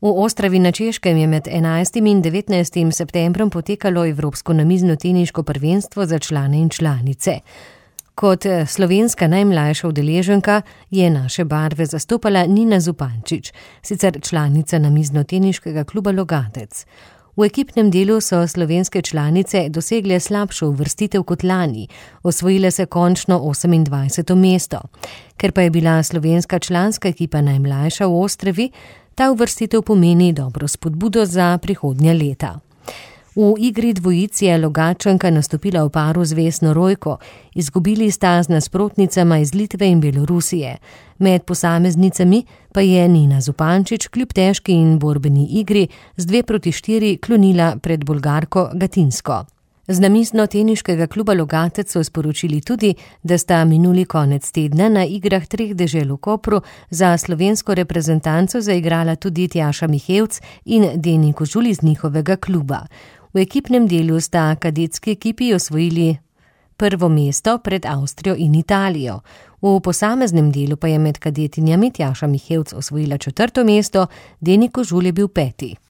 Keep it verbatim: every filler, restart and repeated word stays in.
V Ostravi na Češkem je med enajstim in devetnajstim septembrom potekalo Evropsko namiznoteniško prvenstvo za člane in članice. Kot slovenska najmlajša udeleženka je naše barve zastopala Nina Zupančič, sicer članica namiznoteniškega kluba Logatec. V ekipnem delu so slovenske članice dosegle slabšo uvrstitev kot lani, osvojile se končno osemindvajseto mesto. Ker pa je bila slovenska članska ekipa najmlajša v Ostravi, ta uvrstitev pomeni dobro spodbudo za prihodnja leta. V igri dvojic je Logatčanka nastopila v paru z Vesno Rojko, izgubili sta z nasprotnicama iz Litve in Belorusije. Med posameznicami pa je Nina Zupančič kljub težki in borbeni igri z dve proti štiri klonila pred Bolgarko Gatinsko. Z namiznoteniškega kluba Logatec so sporočili tudi, da sta minuli konec tedna na igrah treh dežel v Kopru za slovensko reprezentanco zaigrala tudi Tjaša Mihevc in Deni Kožul iz njihovega kluba. V ekipnem delu sta kadetski ekipi osvojili prvo mesto pred Avstrijo in Italijo. V posameznem delu pa je med kadetinjami Tjaša Mihevc osvojila četrto mesto, Deni Kožul je bil peti.